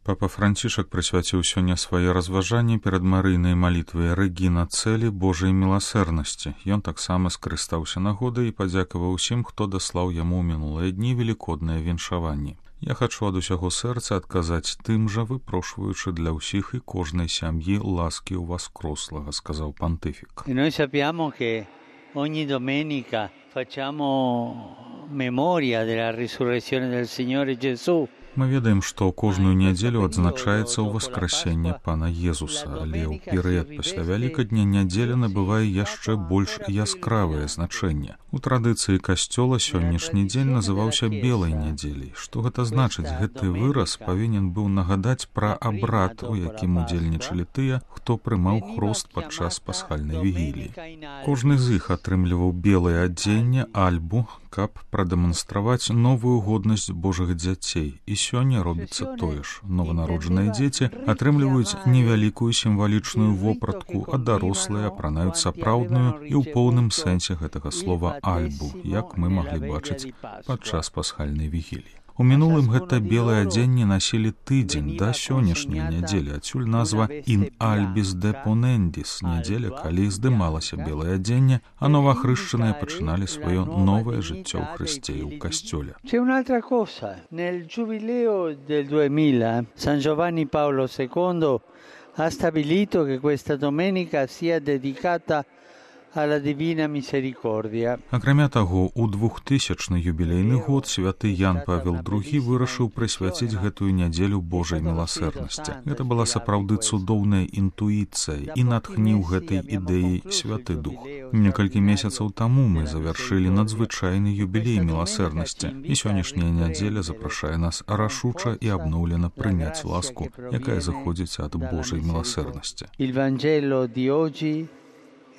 Папа Францішак прысвяціў сёння свае разважанні перад марыйнай малітвай Рэгіна Цэлі Божай міласэрнасці. Ён таксама скарыстаўся нагодай і падзякаваў усім, хто даслаў яму ў мінулыя дні велікодныя віншаванні. Я хачу ад усяго сэрца адказаць тым жа, выпрошваючы для ўсіх і кожнай сям'і ласкі ў Воскрослага, сказаў пантыфік. І noi sappiamo che ogni domenica facciamo memoria della risurrezione del Signore Gesù. Мы ведаем, што кожную нядзелю адзначаецца ўваскрасенне Пана Езуса, але ў перыяд пасля Вялікадня нядзеля набывае яшчэ больш яскравае значэнне. У традыцыі касцёла сённяшні дзень называўся белай нядзеляй. Што гэта значыць? Гэты выраз павінен быў нагадаць пра абрад, у якім удзельнічалі тыя, хто прымаў хрост падчас пасхальнай вігіліі. Кожны з іх атрымліваў белае адзенне, альбу, каб прадэманстраваць новую годнасць Божых дзяцей. І сёння робіцца тое ж. Нованароджаныя дзеці атрымліваюць невялікую сімвалічную вопратку, а дарослыя апранаюць сапраўдную і ў поўным сэнсе гэтага слова альбу, як мы маглі бачыць падчас пасхальнай вігіліі. У мінулым гэта белае адзенне насілі тыдзень да сённяшняй нядзелі, адсюль назва «In albis deponendis» – нядзеля, калі здымалася белае адзенне, а новаахрышчаныя пачыналі сваё новае жыццё ў Хрысце і ў касцёле. C'è un'altra cosa. Nel giubileo del 2000, San Giovanni Paolo II ha stabilito che questa domenica sia dedicata alla Divina Misericordia. Акрамя таго, у 2000-ны юбілейны год святы Ян Павел II вырашыў прысвяціць гэтую нядзелю Божай міласэрнасці. Гэта была сапраўды цудоўная інтуіцыя і натхніў гэтай ідэі Святы Дух. Некалькі месяцаў таму мы завяршылі надзвычайны юбілей міласэрнасці, і сённяшняя нядзеля запрашае нас рашуча і абноўлена прыняць ласку, якая заходзіць ад Божай міласэрнасці. Il Vangelo di oggi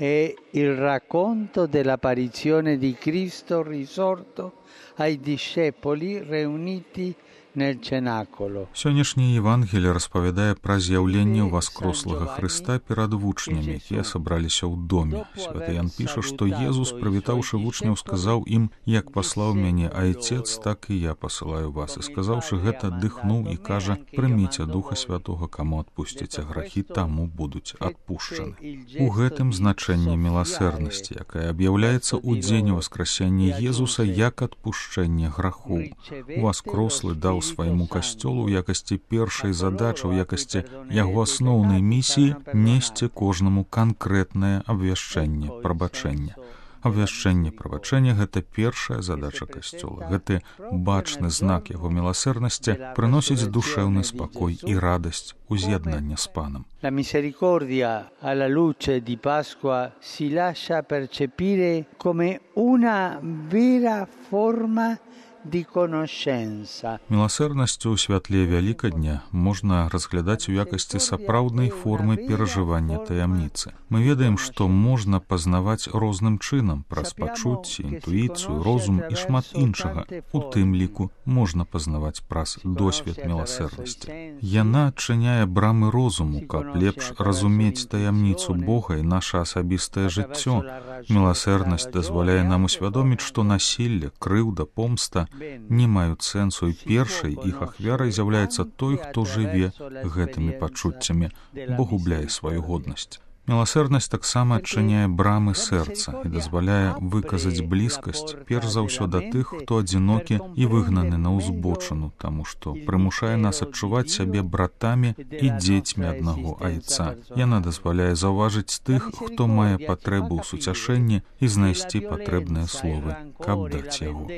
è il racconto dell'apparizione di Cristo risorto ai discepoli riuniti nel cenacolo. Сённяшняе Евангелие распавядае пра з'яўленне воскрослага Хрыста перад вучнямі, якія сабраліся ў доме. Святы Ян піша, што Езус, прывітаўшы вучняў, сказаў ім: «Як паслаў мяне Айцец, так і я пасылаю вас». І сказаўшы гэта, дыхнуў і кажа: «Прыміце Духа Святога, каму адпусціце грахі, таму будуць адпушчаны». У гэтым значэнне міласэрнасці, якая аб'яўляецца ў дзень воскресення Езуса як адпушчэнне грахоў. Воскрослы даў свайму касцёлу ў якасці першай задачы, ў якасці яго асноўнай місіі несці кожнаму канкрэтнае абвяшчэнне прабачэння. Абвяшчэнне прабачэння – гэта першая задача касцёла. Гэты бачны знак яго міласэрнасці прыносіць душэўны спакой і радасць уз'яднання з Панам. La misericordia alla luce di Pasqua si lascia percepire come una vera forma di conoscenza. Міласэрнасцю ў святле Вялікадня можна разглядаць у якасці сапраўднай формы перажывання таямніцы. Мы ведаем, што можна пазнаваць розным чынам праз пачуцці, інтуіцыю, розум і шмат іншага. У тым ліку можна пазнаваць праз досвед міласэрнасці. Яна адчыняе брамы розуму, каб лепш разумець таямніцу Бога і наша асабістае жыццё. Міласэрнасць дазваляе нам усвядоміць, што насілле, крыўда, помста не маюць сэнсу, і першай іх ахвярай з'яўляецца той, хто жыве гэтымі пачуццямі, бо губляе сваю годнасць. Міласэрнасць таксама адчыняе брамы сэрца і дазваляе выказаць блізкасць перш за ўсё да тых, хто адзінокі і выгнаны на ўзбочыну, таму што прымушае нас адчуваць сябе братамі і дзецьмі аднаго айца. Яна дазваляе заўважыць тых, хто мае патрэбу ў суцяшэнні і знайсці патрэбныя словы, каб даць яго.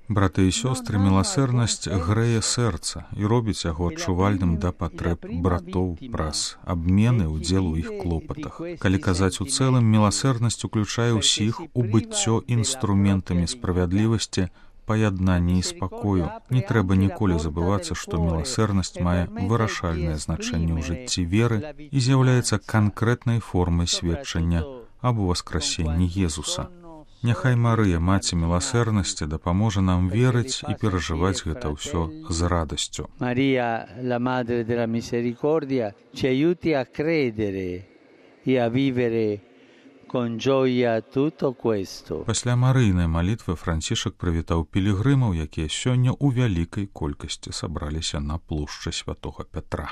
Браты і сёстры, міласэрнасць грэе сэрца і робіць яго адчувальным да патрэб братоў праз абмены ўдзелу іх клопатах. Калі казаць у цэлым, міласэрнасць уключае ўсіх у быццё інструментамі справядлівасці, паяднання і спакою. Не трэба ніколі забывацца, што міласэрнасць мае вырашальнае значэнне ў жыцці веры і з'яўляецца канкрэтнай формай сведчання аб уваскрасенні Езуса. Няхай Марыя, маці міласэрнасці, дапаможа нам верыць і перажываць гэта ўсё з радасцю. Maria, la madre della misericordia, ci aiuti a credere e a vivere con gioia tutto questo. Пасля марыйнай малітвы Францішак прывітаў пілігрымаў, якія сёння ў вялікай колькасці сабраліся на плошчы святога Пятра.